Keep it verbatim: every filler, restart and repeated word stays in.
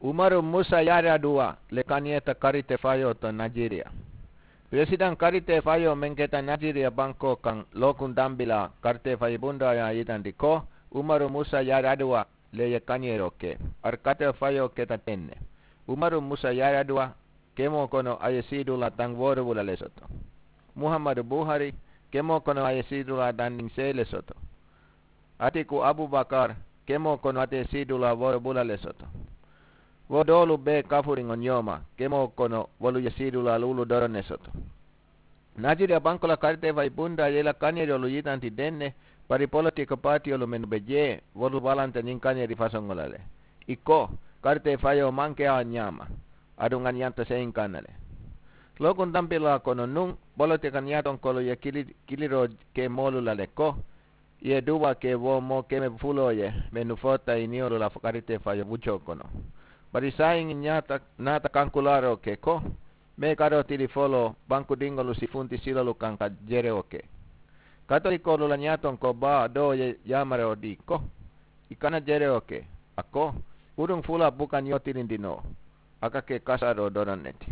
Umaru musa yaraduwa le kaniyeta karite fayo to najiriya. Presidan karite fayo men keta najiriya banko kan lokun dambila karite fayi bunda ya yitandi ko umaru musa yaraduwa le ye kaniyero ke. Ar karite fayo keta tenne. Umaru musa yaraduwa kemo kono aye sidula tan worubula le soto. Muhammadu buhari kemo kono aye sidula tan nin sele soto. Atiku abubakar kemo kono ate sidula worubula le soto. Wo dolu be kafuriŋo ñoma kemo kono wolu ye sidula lulu doron ne soto. Najiriya bankola karite fay bunda yela kaniyerolu yitanti denne. Bari politiko patiyolu mennu be jee wolu balanta ñiŋ kaniyeri fasoŋola le. I ko karite fayo manke a ñama. Aduŋ a ñanta seyiŋ kanna le. Lokun dampila kono nuŋ politiko ñatonkolu ye kiliro ke moolu la le ko i ye duwa ke wo moo keme fuloo ye mennu foota i niyolu la karite fayo wucoo kono. Bari saayiŋ i ñaata naata kankulaaroo ke ko mee karoo tili foloo bankudiŋolu si funti silolu kaŋ ka jerewo ke. Katolikoolu la ñaatonko baa doo ye yaamarewo dii ko i kana jerewo ke. A ko kuruŋ fula buka ñoo tilindi noo. A ka ke kasaaroo doroŋ ne ti.